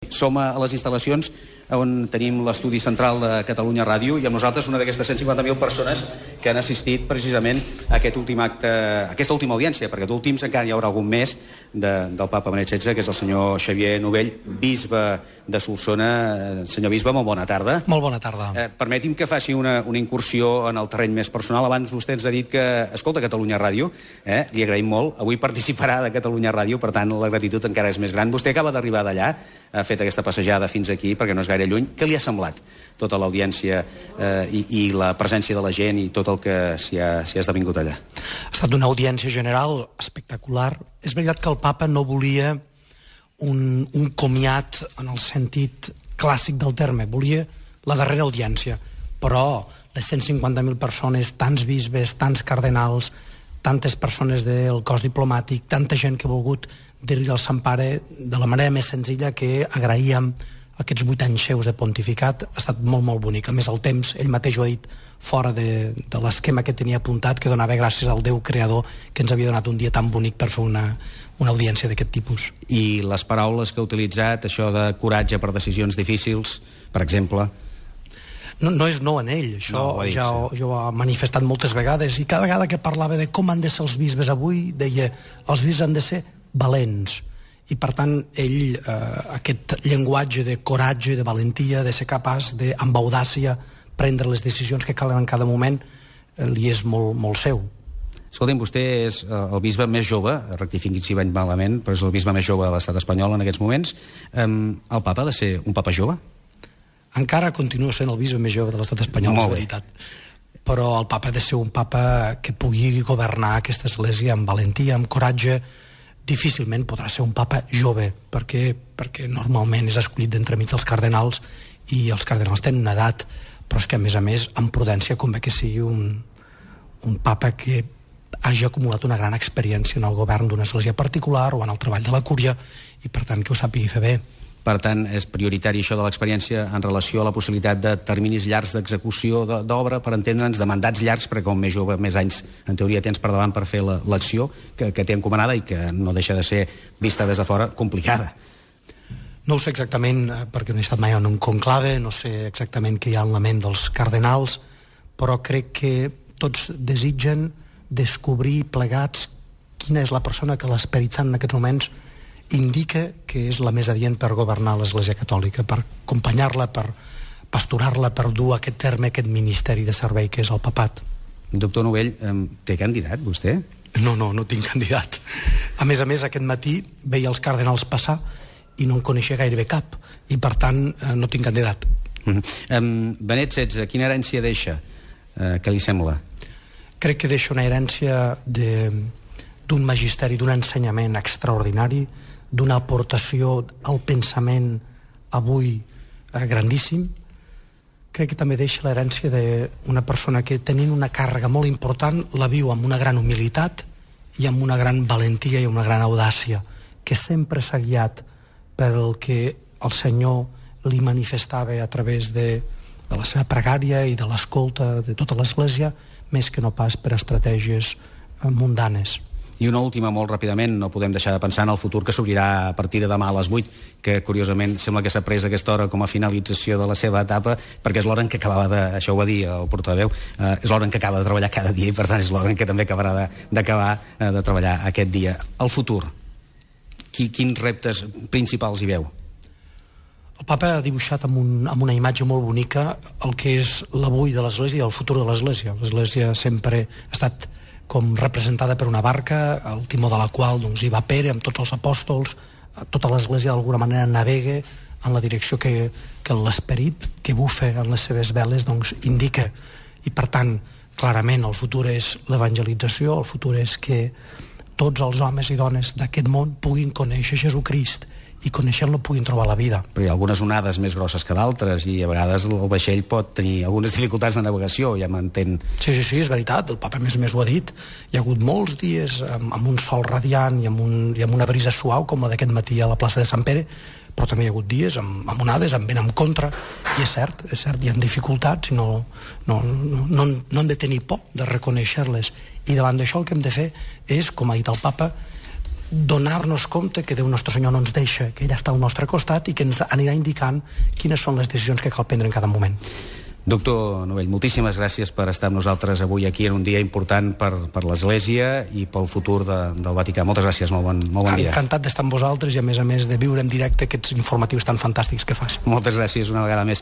Som a les instal·lacions on tenim l'estudi central de Catalunya Ràdio i amb nosaltres una d'aquestes 150.000 persones que han assistit precisament a aquest últim acte, a aquesta última audiència, perquè d'últims encara hi haurà algun més del papa Benet XVI, que és el senyor Xavier Novell, bisbe de Solsona. Senyor bisbe, molt bona tarda. Molt bona tarda. Permeti'm que faci una incursió en el terreny més personal. Abans vostè ens ha dit que escolta Catalunya Ràdio, li agraïm molt. Avui participarà de Catalunya Ràdio, per tant la gratitud encara és més gran. Vostè acaba d'arribar d'allà, ha fet aquesta passejada fins aquí, perquè no és gaire lluny. Què li ha semblat tota l'audiència i la presència de la gent i tot el que s'hi ha esdevingut allà? Ha estat una audiència general espectacular. És veritat que el papa no volia un comiat en el sentit clàssic del terme, volia la darrera audiència, però les 150.000 persones, tants bisbes, tants cardenals, tantes persones del cos diplomàtic, tanta gent que ha volgut dir-li al Sant Pare de la manera més senzilla que agraïem aquests 8 anys seus de pontificat. Ha estat molt, molt bonic. A més, el temps, ell mateix ho ha dit, fora de l'esquema que tenia apuntat, que donava gràcies al Déu creador que ens havia donat un dia tan bonic per fer una audiència d'aquest tipus. I les paraules que ha utilitzat, això de coratge per decisions difícils, per exemple... No és nou en ell, això ja ho ha manifestat moltes vegades, i cada vegada que parlava de com han de ser els bisbes avui, deia, els bisbes han de ser valents, i per tant ell, aquest llenguatge de coratge, de valentia, de ser capaç de, amb audàcia, prendre les decisions que calen en cada moment, li és molt, molt seu. Escolti'm, vostè és el bisbe més jove, rectifiqui si vaig malament, però és el bisbe més jove de l'estat espanyol en aquests moments. El papa ha de ser un papa jove? Encara continua sent el bisbe més jove de l'estat espanyol, és veritat. Però el papa ha de ser un papa que pugui governar aquesta església amb valentia, amb coratge. Difícilment podrà ser un papa jove, perquè normalment és escollit d'entremig dels cardenals, i els cardenals tenen una edat, però és que a més, amb prudència, convé que sigui un papa que hagi acumulat una gran experiència en el govern d'una església particular o en el treball de la cúria, i per tant que ho sàpigui fer bé. Per tant, és prioritari això de l'experiència en relació a la possibilitat de terminis llargs d'execució d'obra, per entendre'ns, de mandats llargs, perquè com més jove, més anys, en teoria, tens per davant per fer l'acció que té encomanada i que no deixa de ser, vista des de fora, complicada. No ho sé exactament, perquè no he estat mai en un conclave, no sé exactament què hi ha en la ment dels cardenals, però crec que tots desitgen descobrir plegats quina és la persona que l'Esperit Sant en aquests moments indica que és la més adient per governar l'Església Catòlica, per acompanyar-la, per pastorar-la, per dur a aquest terme, aquest ministeri de servei que és el papat. Doctor Novell, té candidat, vostè? No tinc candidat. A més, aquest matí veia els cardenals passar i no en coneixia gairebé cap, i per tant no tinc candidat. Benet XVI, quina herència deixa? Què li sembla? Crec que deixa una herència d'un magisteri, d'un ensenyament extraordinari, d'una aportació al pensament avui grandíssim. Crec que també deixa l'herència d'una persona que, tenint una càrrega molt important, la viu amb una gran humilitat i amb una gran valentia i una gran audàcia, que sempre s'ha guiat pel que el Senyor li manifestava a través de la seva pregària i de l'escolta de tota l'Església, més que no pas per estratègies mundanes. I una última, molt ràpidament, no podem deixar de pensar en el futur que s'obrirà a partir de demà a les 8, que curiosament sembla que s'ha pres aquesta hora com a finalització de la seva etapa, perquè és l'hora en què acabava de, això ho va dir el portaveu, és l'hora en què acaba de treballar cada dia i per tant és l'hora en què també acabarà d'acabar de treballar aquest dia. El futur, quins reptes principals hi veu? El papa ha dibuixat amb una imatge molt bonica el que és l'avui de l'Església i el futur de l'Església. L'Església sempre ha estat com representada per una barca, al timó de la qual hi va Pere amb tots els apòstols, tota l'Església d'alguna manera navega en la direcció que l'Esperit que bufa en les seves veles indica. I per tant, clarament el futur és l'evangelització, el futur és que tots els homes i dones d'aquest món puguin conèixer Jesucrist i coneixent-lo puguin trobar la vida. Però hi ha algunes onades més grosses que d'altres i a vegades el vaixell pot tenir algunes dificultats de navegació, ja m'entén. Sí, és veritat, el papa més ho ha dit. Hi ha hagut molts dies amb un sol radiant i amb una brisa suau com la d'aquest matí a la plaça de Sant Pere, però també hi ha hagut dies amb onades, amb vent en contra, i és cert, hi ha dificultats i no hem de tenir por de reconèixer-les. I davant d'això el que hem de fer és, com ha dit el papa, donar-nos compte que Déu Nostre Senyor no ens deixa, que ell està al nostre costat i que ens anirà indicant quines són les decisions que cal prendre en cada moment. Doctor Novell, moltíssimes gràcies per estar amb nosaltres avui aquí en un dia important per l'Església i pel futur del Vaticà. Moltes gràcies, molt bon dia. Encantat d'estar amb vosaltres i a més de viure en directe aquests informatius tan fantàstics que fas. Moltes gràcies una vegada més.